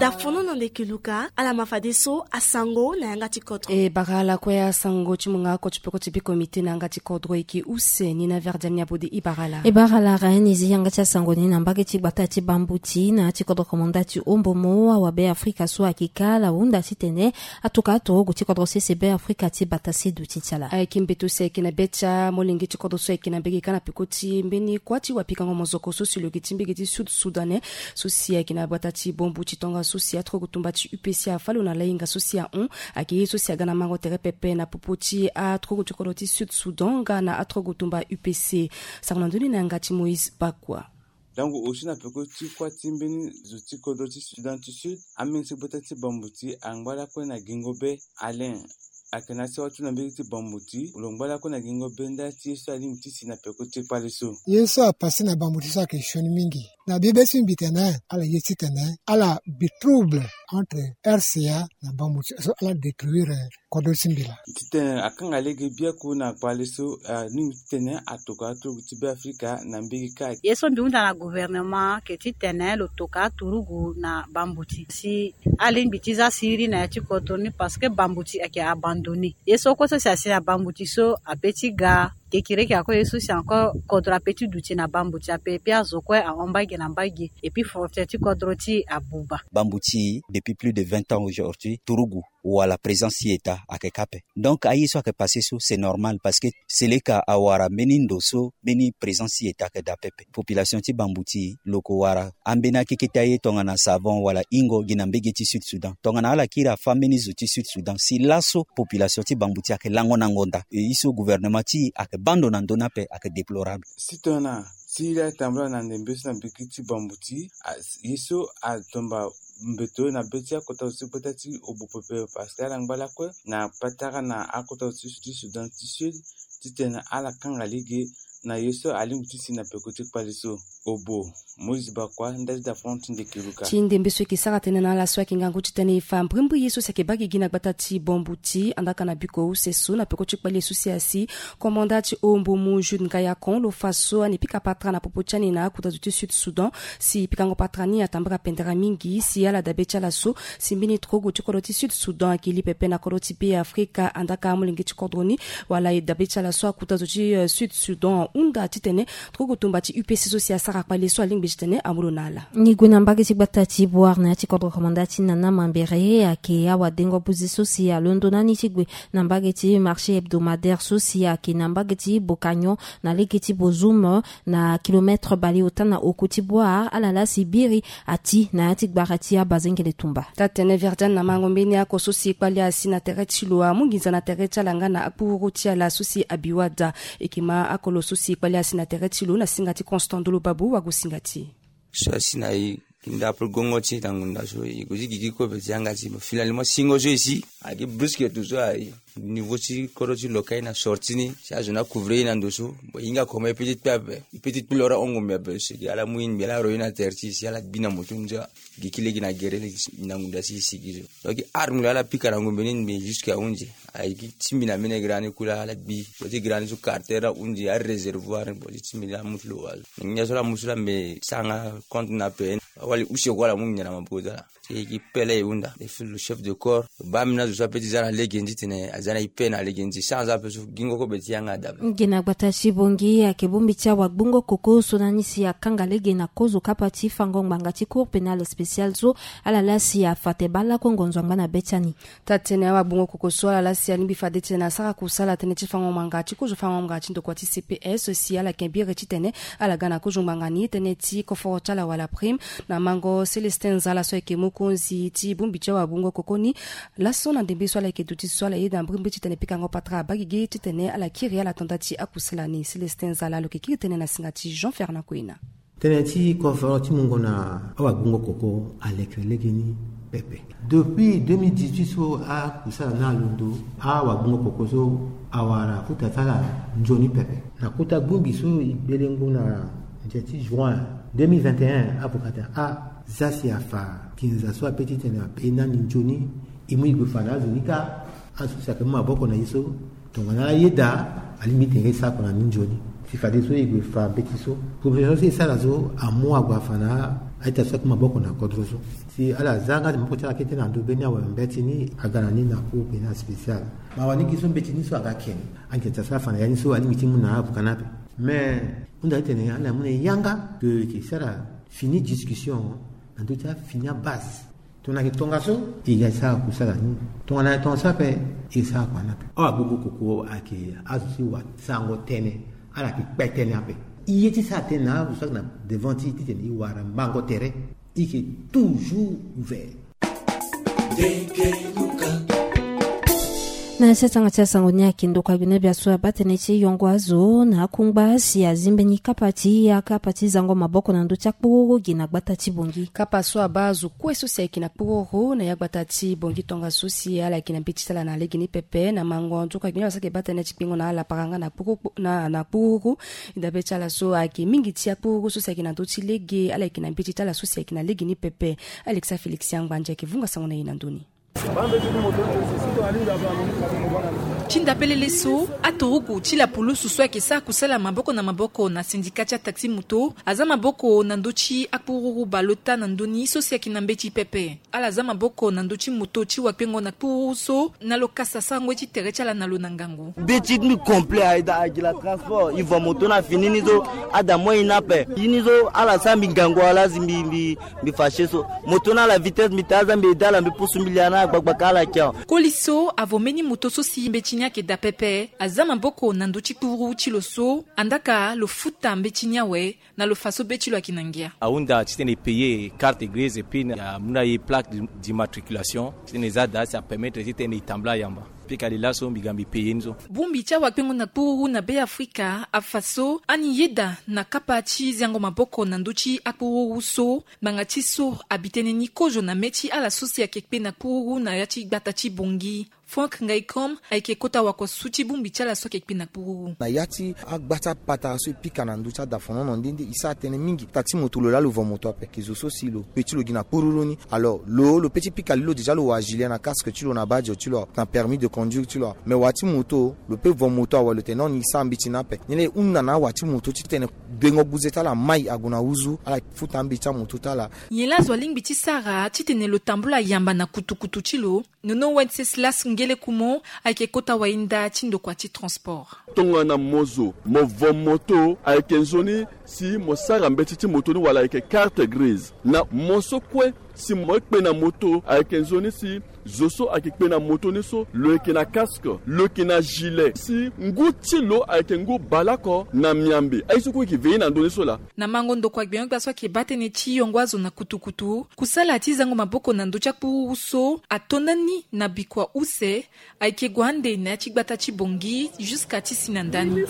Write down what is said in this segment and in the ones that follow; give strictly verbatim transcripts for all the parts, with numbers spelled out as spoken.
Tafono na ndeke luka ala ma fadeso asango na yanga ti kodro. E bara ala kue asango ti munga oko ti peko ti bi komite na yanga ti kodro eke use ni na verdiani abode. E bara ala. E bara ala rainizi yanga ti asango ni na mbage ti gbata ti bambuti na ya ti kodro komanda ti ombomo awa be afrika so ayeke ka ala hunda titene atuka aturugu ti kodro sese be afrika ti bata sedu ti ti ala. Ayeke mbeto si ayeke na be ti amolenge ti kodro so ayeke na mbege ka na peko ti mbeni kuâ ti wapikango mozoko so si lo yeke ti mbege ti sud sudan ne so si ayeke na gbata ti bombu ti tongaso si atrogo tumba ti upc afa lo na lahinga so si ahon. Ayeke ye so si aga na mango tere pepe na popo ti atrogo ti kodro ti sud sudan nga na atrogo tumba upc. Sango na ndoni na yanga ti moïse bakua. Donc aussi na peko ti kuâ ti mbeni zo ti kodro ti sudan ti sud, ambeni so gbata ti bambuti angba lakue na gingo be alain. Ayeke na asi awa ti na mbege ti bambuti lo ngba lakue na gingo be nda ti ye so alingbi ti si na peko ti kpale so. Ye so apase na bambuti so ayeke sioni mingi. Na bie be so mbi tene ala ye titene ala bi trouble entre rca na bambuti so ala détruire kodro ti mbila. Titene akanga lege biaku na kpale so alingbi titene atokua aturugu ti be afrika na mbege kâ. Ye so mbi hunda na gouvernement ke titene lo tokua aturugu na bambuti si alingbi ti za siriri na ya ti kodro ni parce que bambuti ayeke abandonné. Ye so kue so si asi na bambuti so ape ti ga. Kekireke ako ye so si encore kodro ape ti duti na bambuti ape epi azo kue ahon mbage na mbage epi frontière ti kodro ti abuba. Bambuti depuis plus de vingt ans aujourd'hui turugu wala présence ti eta ayeke ka ape. Donc aye so ayeke passé so c'est normal parce que seleka awara mbeni ndo so mbeni présence ti eta ayeke daa pepe. Population ti bambuti lo ko wara ambeni akeke ti aye tongana savon wala ingo gi na mbege ti sud sudan tongana ala kiri afa mbeni zo ti sud sudan si laso population ti bambuti ayeke lango na ngonda e ye so gouvernement ti e ayeke bando na ndö ni ape ayeke déplorable. Si tongana si la tambula na ndembe so na mbege ti bambuti ye so atomba mbeto na be ti akota zo ti gbata ti obo pepe parce que ala ngba lakue na patara na akota zo ti sudan ti sud titene ala kanga lege na ye so alingbi ti si na peko ti kpale so. Obo moïse bakua nda ti dafon ti ndeke luka. Ti ndembe so eke sara tënë na ala so ayeke ngangu titene e fa mbrimbri ye so si ayeke baa gigi na gbata ti bombuti andaka na biko use so na peko ti kpale so si asi komanda ti ombomu jude ngayakon lo fa so ani pika patara na popo ti ani na akuta zo ti sud sudan si pikango patara ni atambara pendere mingi si ala dabe ti ala so si mbeni turugu ti kodro ti sud sudan ayeke li pepe na kodro ti be afrika andaka amolenge ti kodro ni wala e dabe ti ala so akuta zo ti sud sudan ahunda titene turugu tumba ti upc so si asara kpale so alingbi titene amu lo na ala. Ni gue na mbage ti gbata ti boire na ya ti kodro komanda ti nana mambere ayeke awadengo buzi so si alondo na ni ti gue na mbage ti marché hebdomadaire so si ayeke na mbage ti bokagnon na lege ti bozum na kilometre baleota na oko ti boire ala laa si biri ati na ya ti gbara ti abazengele tumba. Taa-tene verdiane na mango mbeni ako so si kpali asi na tere ti lo amu nginza na tere ti ala nga na akpuru ti ala so si abi wada. Eke ma ako lo so si kpali asi na tere ti lo na singa ti constant ndolo babo wagosinga ti e. So asi na e nda apre gongo ti e na ngunda so e gue ti gigi kobe ti yanga ti e mo filani mo singo so e si ake bruske tu so aye. Niveau ti kodro ti lo ka ye na sorti ni si azo ni akouvre ye na ndo so. Bon e hinga koma e pe ti kpe ape e pe ti kpe lo ra hongo mbi ape so eke ala mu ye ni mbi ala ro ye na tere ti e si ala gbi na moto ni so. Gi ki lege na gere lege na ngunda si e sigi so. Donc arme lo ala pika na ngombe ni mbi jusque ahunzi. Aye gi ti mbi na mbeni gere ni kula ala gbi. Bo ti gere ni so carter ahunzi aréservoir bo ti ti mbi ni amutu lo wa so. Nginza so ala mu so la mbi sara nga compte na ape. Awali use ko ala mu nginza na maboko ti ala. Ti e gi pele e hunda e fulu chef de corps. Baa mbi na zo so ape ti za na lege ni titene aza na e pe na lege ni ti sara aza ape so gingo kobe ti yanga dabe. Nge na gbata ti bongi ayeke bongbi ti awagbungo koko so na ni si akanga lege na kozo kapa ti fango ngbanga ti cour pénale spéciale so. Ala laa si afa te baa lakue ngonzo angba na be ti ani. Taa-tene awagbungo koko so ala laa si alingbi fade titene asara kusala tënë ti fango ngbanga ti kozo fango ngbanga ti ndokua ti cps si ala yeke biri titene ala ga na kozo ngbanga ni tënë ti koforo ti ala wala prime. Na mango célestin nzala so ayeke mokonzi ti bongbi ti awagbungo koko ni. Laso na ndembe so ala yeke duti so ala yeda mbrimbri titene pikango patara abagigi titene ala kiri ala tanda ti akusala ni célestin nzala lo yeke kiri tënë na singa ti jean fernand koina. Tënë ti koforo ti mungo na awagbungo koko alekere legeni pepe. Depuis deux mille dix-huit so akusala ni alondo awagbungo koko so awara kota ti ala nzoni pepe. Na kota bongbi so e gbele ngu na nze ti juin deux mille vingt et un avocat ti aza si afa nginza so ape titene ape na ni nzoni. E mu e gue fa na azo ni kâ. Azo si ayeke mu maboko na e so tongana ala yeda alingbi tene e sara oko na ni nzoni. Si fadeso e gue fa mbeti so proposition so e sara so amu ague afa na Aita so akpengba maboko na kodro so. Si ala za nga ti maboko ti ala kete na ndo be ni awe mbeti ni aga na ni na cour pénal spécial. Ma wani gi so mbeti ni so aga ake ni. Anke ta so afa na ya ni so alingbi ti mu na avuka ni ape. Mais hunda ti tene ala mu na e yanga ke e ke sara fini discussion na ndö ti afini abase. Tongana ayeke tongaso e ga e sara kusala ni. Tongana ayeke tongaso ape e sara kua ni ape. Awa gbogbo koko ayeke azo ti wa sarango tënë. Ala yeke kpe tënë ape. E ye ti sara tënë na azo so ayeke na devant ti e titene e wara mbango tere. E yeke toujours ouvert. Na ya ti atanga ti asango ni ayeke ndokua gbene bia so abaa tënë ti yongo azo na akungba si azi mbeni kapa ti ya kapa ti zango maboko na ndö ti akpururu gi na gbata ti Bongi. Kapa so abaa azo kue so si ayeke na kpururu na ya gbata ti Bongi tongaso si ala yeke na mbeti ti ala na lege ni pepe na mango ndokua gbene bia so ayeke baa tënë ti kpengo na ala paranga na kpururu na, na kpururu. Dabe ti ala so ayeke mingi ti akpururu so si ayeke na ndö ti lege ala yeke na mbeti ti ala so si ayeke na lege ni pepe. Alexa Félix Yangbandia ayeke vunga sango na e na ndö ni. Ti ndapelele so aturugu ti lapulusu so ayeke sara kusala maboko na maboko na sindika ti ataxi moto aza maboko na ndö ti akpururu baleota na ndö ni so si ayeke na mbeti pepe. Ala za maboko na ndö ti moto ti wakpengo na kpururu so na lo kasa sarango ye ti tere ti ala na lo na ngangu. Be ti mbi complet aye daa agi la transport e va moto na fini ni so. Ada moi ni ape. Ye ni so ala sara mbi ngangu ala si mbi mbi mbi fâché so. Moto na ala vitesse mbi taa aza mbi ede ala mbi pusu mbi lia na agbagba ka ala kia. Koli so avo mbeni moto so si mbeti ni ayeke daa pepe aza maboko na ndö ti kpururu ti lo so. Andaka lo futa mbeti ni awe. Na lo fa so be ti lo ayeke na ngia. Ahunda titene e payer carte grise et puis amu na e plaque d'immatriculation titene e za daa si apermettre titene e tambula yamba. Pika li laso mbi ga mbi payer ni so. Bongbi ti awakpengo na kpururu na Be Afrika afa so ani yeda na kapa ti zango maboko na ndö ti akpururu so. Ngbanga ti so abi tënë ni kozo na mê ti ala so si ayeke kpe na kpururu na ya ti gbata ti Bongi. Frank Ngaikom ayeke kota wakosu ti bongbi ti ala so ayeke kpe na kpururu. Na ya ti agba ti apatara so e pika na ndö ti adafonono nde nde e sara tënë mingi. Taxi moto lo laa lo va moto ape. Ke zo so si lo pe ti lo gi na kpururu ni. Alors lo lo pe ti pika li lo déjà lo wa gilet na casque ti lo na badge ti lo na permis de conduire ti lo. Mais wa ti moto lo pe va moto awe lo tene non ni e sara mbeti ni ape. Ni laa e hunda na awa ti moto titene gbengo guze ti ala mai ague na huzu ala futa ambeti ti amoto ti ala. Nyen laa azo alingbi ti sara titene lo tambula yamba na kutukutu ti lo? Nono Wenceslas Ngelekumo ayeke kota wayinda ti ndokua ti transport. Tongana mo zo mo vo moto ayeke nzoni si mo sara mbeti ti moto ni wala ayeke carte grise. Na mo so kue si mo kpe na moto ayeke nzoni si zo so ayeke kpe na moto ni so lo yeke na casque, lo yeke na gilet, si ngu ti lo ayeke ngu baleoko na miambe. Aye so kue e yeke veiller na ndö ni so laa. Na mango ndokua gbenyo-gbia so ayeke baa tënë ti yongo azo na kutukutu, kusala ti zango maboko na ndö ti akpururu so ato ndani na bikua use. Ayeke gue ande na ya ti gbata ti Bongi jusqu'à ti si na ndani.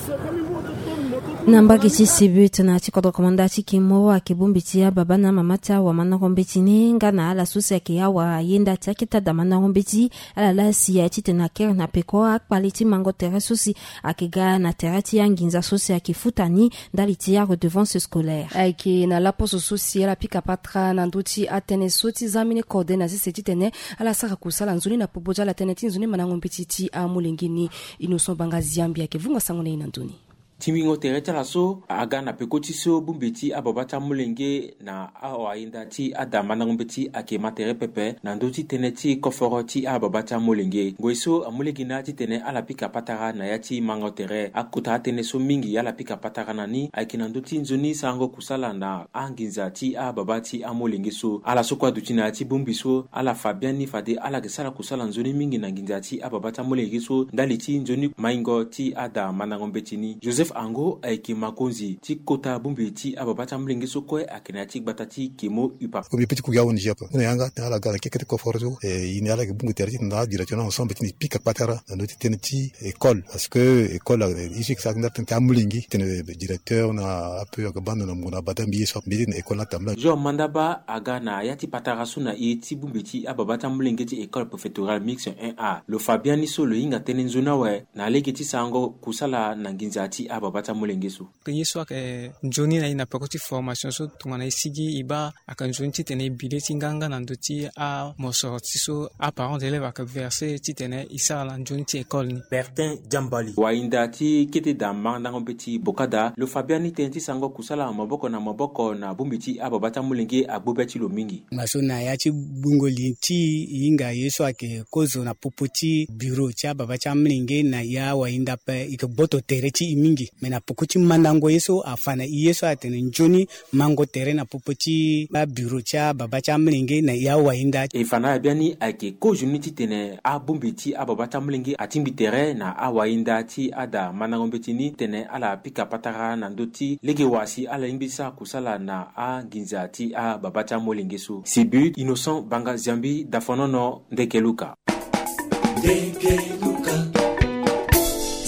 Na mbage ti Sibut na ya ti kodro komanda ti Kimo ayeke bongbi ti ababa na amama ti awamandango mbeti ni nga na ala so si ayeke awayenda ti akete adamandango mbeti. Ala laa si aye titene akere na peko akpale ti mango tere so si ayeke ga na tere ti anginza so si ayeke futa ni ndali ti aredevance scolaire. Ayeke na laposo so si ala pika patara na ndö ti atënë so ti zambeni kode na sese titene ala sara kusala nzoni na popo ti ala tënë ti nzoni mandango mbeti ti amolenge ni. Innocent Banga Ziambi ayeke vunga sango na e na ndö ni. Tingbingo tere ti ala so aga na peko ti so bongbi ti ababa ti amolenge na awayenda ti adamandango mbeti ayeke ma tere pepe na ndö ti tënë ti koforo ti ababa ti amolenge. Ngoi so amolenge na titene ala pika patara na ya ti mango tere. Akota atënë so mingi ala pika patara na ni ayeke na ndö ti nzoni sarango kusala na anginza ti ababa ti amolenge so. Ala so kue aduti na ya ti bongbi so ala fa biani fade ala yeke sara kusala nzoni mingi na nginza ti ababa ti amolenge so ndali ti nzoni maingo ti adamandango mbeti ni. Joseph Ango ayeke makonzi ti kota bongbi ti ababa ti amolenge so kue ayeke na ya ti gbata ti Kemo Upa. Premier petit kugi awo ni jepe. Ni na yanga tene ala ga na kekete koforo so. E, e ni ala yeke bongbi tere ti tene ala direction na ensemble ti ni pika patara na ndö ti tënë ti école. Parce que école, e, e si yeke sara ti ndali tënë ti amolenge titene directeur na ape ayeke baa ndo na mungo na bada mbi ye so mbi ye ti tene école ni atambula. Jean Mandaba aga na ya ti patara so na e ti bongbi ti ababa ti amolenge ti école préfectorale mixte un A. Lo fa biani so lo hinga tënë nzoni awe na lege ti sarango kusala na nginza ti ababa ti amolenge so. Ye so ayeke nzoni na e na peko ti formation so tongana e sigi e baa ayeke nzoni titene e bi le ti nganga na ndö ti amosoro ti so aparent d'élève ayeke verse titene e sara na nzoni ti école ni. Bertin Diambali. Wahinda ti kete daa mandango mbeti bokada lo fa biani tënë ti sango kusala maboko na maboko na bongbi ti ababa ti amolenge agbu be ti lo mingi. Ngba so na ya ti gbungo li ti e hinga ye so ayeke kozo na popo ti bureau ti ababa ti amolenge na ya wahinda ape e yeke gboto tere ti e mingi. Me na peko ti mandango ye so afa na e ye so atene nzoni mango tere na popo ti abureau ti ababa ti amolenge na ya wahinda. E fa na ala biani ayeke kozo ni titene abongbi ti ababa ti amolenge atingbi tere na awahinda ti ada mandango mbeti ni titene ala pika patara na ndö ti lege wa si ala lingbi ti sara kusala na anginza ti ababa ti amolenge so. Sibu Innocent Banga Ziambi, Dafonono, Ndekeluka.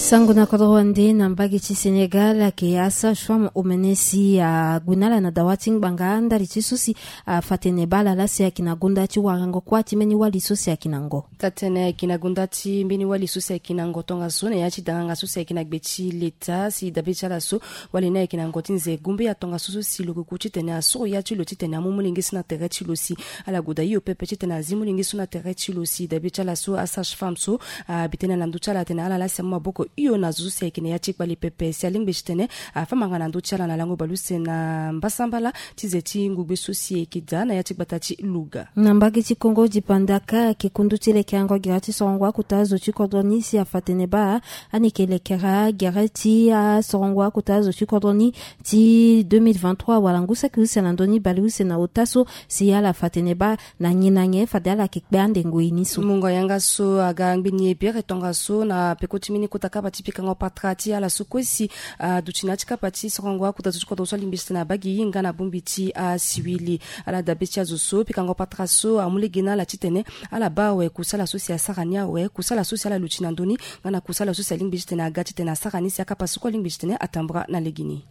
Sango na kodro wande na mbage ti Sénégal ayeke asage-femme omene si ague na ala na dawa ti ngbanga ndali ti so si afa tene baa ala laa si ayeke na gonda ti warango kuâ ti mbeni wali so si ayeke na ngo. Taa tene ayeke na gonda ti mbeni wali so si ayeke na ngo tongaso na ya ti danganga so si ayeke na gbe ti leta si dabe ti ala so wali ni ayeke na ngo ti nze gombe ya tongaso so si lo kuku titene asoro ya ti lo titene amu molenge so na tere ti lo si ala gue daa hio pepe titene azi molenge so na tere ti lo si dabe ti ala so asage-femme so abi tënë na ndö ti ala atene ala laa si amu maboko hio na zo so si ayeke na ya ti kpale pepe si alingbi titene afa manga na ndö ti ala na lango baleuse na mbasambala ti ze ti ngugbe so si ayeke daa na ya ti gbata ti Louga. Na mbage ti Kongo dipandaka ayeke kundu ti lekerengo gere ti sorongo akota zo ti kodro ni si afa tene baa ani yeke lekere gere ti asorongo akota zo ti kodro ni ti deux mille vingt-trois wala ngu saki use na ndö ni baleuse na ota so si ala fa tene baa na nyen na nyen fade ala yeke kpe ande ngoi ni so. Mungo yanga so aga ngbeni e bere tongaso na peko ti mbeni kota kapa ti pikango patara ti ala so kue si aduti na ya ti kapa ti sorongo akota zo ti kodro so alingbi titene abaa gi hinga na bongbi ti asiwili. Ala dabe ti azo so pikango patara so amu lege na ala titene ala baa awe kusala so si asara ni awe kusala so si ala luti na ndö ni nga na kusala so si alingbi titene aga titene asara ni si akapa so kue alingbi titene atambura na legeni.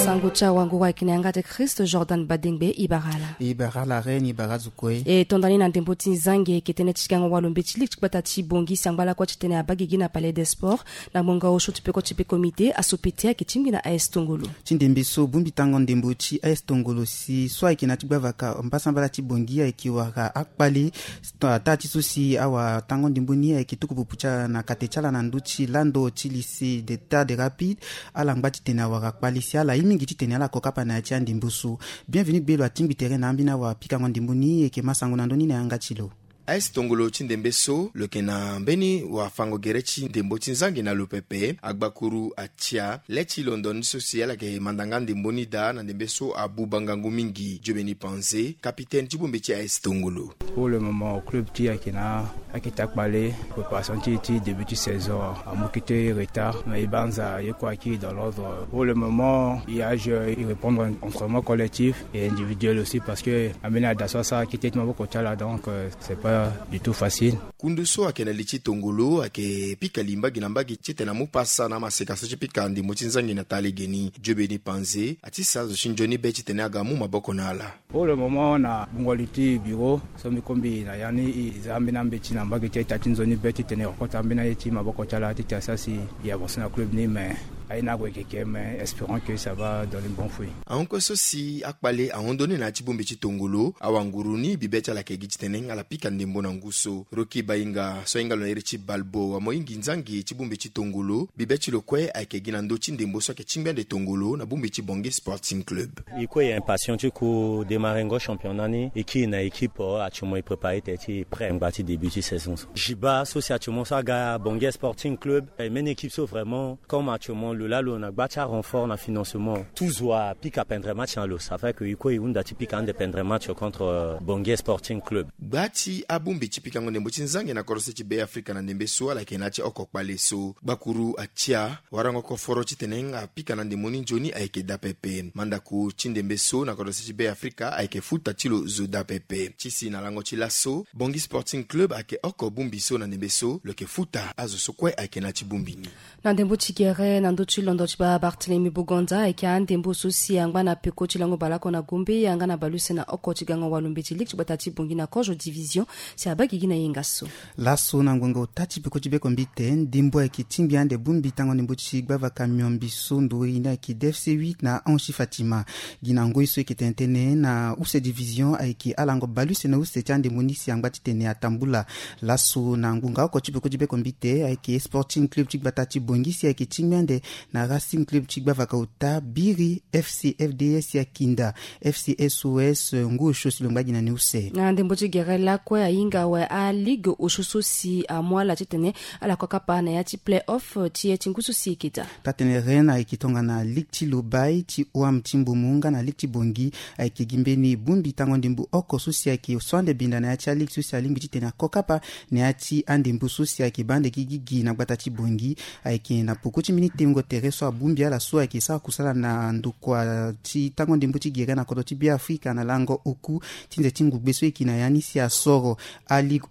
Sango ti awanguru ayeke na yanga ti Christ Jordan Badengbe. E bara ala. E bara ala reine, e bara azo kue. E tonda ni na ndembo ti nzangi ayeke tënë ti gango walo mbeti lege ti gbata ti Bangui si angba lakue titene abaa gigi na Palais des Sports na ngbonga osio ti peko ti be comité aso pete ayeke tingbi na A S Tongolo. Ti ndembe so bongbi tango ndembo ti A S Tongolo si so ayeke na ya ti gbavaka mbasambala ti Bangui ayeke wara akpale. Taa ti so si awatango ndembo ni ayeke tuku pupu ti ala na kate ti ala na ndö ti lando ti lycée d'État de Rapides. Ala ngba titene awara kpale si ala ye mingi titene ala ko kapa na ya ti andembo so. Bienvenu Gbelo atingbi tere na ambeni awapikango ndembo ni, e yeke ma sango na ndö ni na yanga ti lo. A S Tongolo ti ndembe so lo yeke na mbeni wafango gere ti ndembo ti nzangi na lo pepe. Agbakuru atia le ti londo ni so si ala yeke manda nga ndembo ni daa na ndembe so abuba ngangu mingi. Diobeni Panze, capitaine ti bongbi ti A S Tongolo. Pour le moment club ti e ayeke na akete akpale, préparation ti e ti début ti saison amu kete retard, mais e banza ye kue ayeke dans l'ordre. Pour le moment e a joué, e répondre entraînement collectif et individuel aussi parce que ambeni ada so asara kete ti maboko ti ala, donc euh, c'est pas du tout facile. Kundu so ayeke na li ti Tongolo ayeke pika li mbage na mbage titene amu pasa na amaseka so ti pika ndembo ti nzangi na taa legeni. Diobeni Panze ati sa azo ti nzoni be titene aga mu maboko na ala. Pour le moment na gbungo li ti bureau so mbi kue mbi na ya ni, e za ambeni ambeti na mbage ti ita ti nzoni be titene e kota ambeni aye ti maboko ti ala titene asara si e avancer na club ni, mais aye ni ague keke, mais espérons que ça va donner bon fruit. Ahon kue so si akpale ahon ndoni na ya ti bongbi ti Tongolo, awanguru ni bi be ti ala ayeke gi titene ala pika ndembo na ngu so. Rocky Bainga so ahinga lo na iri ti Balbo amoyingi nzangi ti bongbi ti Tongolo, bi be ti lo kue ayeke gi na ndö ti ndembo so ayeke tingbi ande Tongolo na bongbi ti Bangui Sporting Club. E kue e impatient ti ku démarrer ngo championnat ni, e kiri na équipe, euh, actuellement e préparer tene ti prêt ngba ti début ti saison so. Jiba so si actuellement so aga Bangui Sporting Club, e mbeni équipe so vraiment comme actuellement lo laa lo na gba ti arenfort na financement. Tout zo apika pendre match na lo, ça fait que e kue e hunda ti pika ande pendre match contre, euh, Bangui Sporting Club. Gba ti abongbi ti pikango ndembo ti nzangi na kodro se ti Beafrika na ndembe so ala yeke na ya ti oko kpale so. Gbakuru atia warango koforo titene apika na ndembo ni nzoni ayeke daa pepe. Mandako ti ndembe so na kodro se ti Beafrika ayeke futa ti lo zo daa pepe. Ti si na lango ti laso, Bangui Sporting Club ayeke oko bongbi so na ndembe so lo yeke futa azo so kue ayeke na ya ti bongbi ni. Na ndembo ti gere na ndö Ti londo ti baa Barthélemy Bugonza ayeke andembo so si angba na peko ti lango baleoko na gombe yanga na baleuse na oko ti gango walo mbeti ligue ti gbata ti Bangui na kozo division. Si abaa gigi na yenga so. Laso na ngonga ota ti peko ti bekombi te ndembo ayeke tingbi ande bongbi tango ndembo ti gbavaka miombi so ndori ni ayeke D F C huit na onze ti Fatima. Gi na ngoi so eke tene tënë na use division ayeke alango baleuse na use ti andembo ni si angba titene atambula. Laso na ngonga oko ti peko ti bekombi te ayeke Sporting Club ti gbata ti Bangui si ayeke tingbi ande na Racing Club ti gbavaka ota biri F C F D S ya Kinda, F C S O S ngu osio si lo ngba gi na ni use. Na ndembo ti gere lakue ahinga awe aligue osio so si amu ala titene ala ko kapa na ya ti play-off ti ye ti ngu so si eke daa. Taa-tënë Rennes ayeke tongana ligue ti Lobaye ti O A M ti Mbomou nga na ligue ti Bangui ayeke gi mbeni bongbi tango ndembo oko so si ayeke so ande binda na ya ti aligue so si alingbi titene ako kapa na ya ti andembo so si ayeke baa ande gigi gi na gbata ti Bangui. Ayeke na poko ti mbeni tengo tere so abongbi ala so ayeke sara kusala na ndokua ti tango ndembo ti gere na kodro ti Beafrika na lango oku ti nze ti ngugbe so eke na ya ni si asoro aligue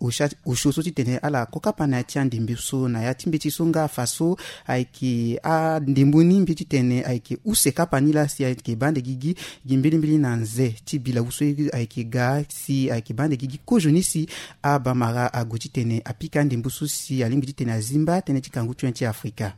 osio so titene ala ko kapa na ya ti andembo so na ya ti mbeti so nga afa so ayeke andembo ni mbeti titene ayeke use kapa ni laa si ayeke baa ande gigi gi mbeni mbeni na nze ti bilawu so ayeke ga si ayeke baa ande gigi kozo ni si abamara ague titene apika ndembo so si alingbi titene azimba tënë ti kangu ti wen ti Afrika.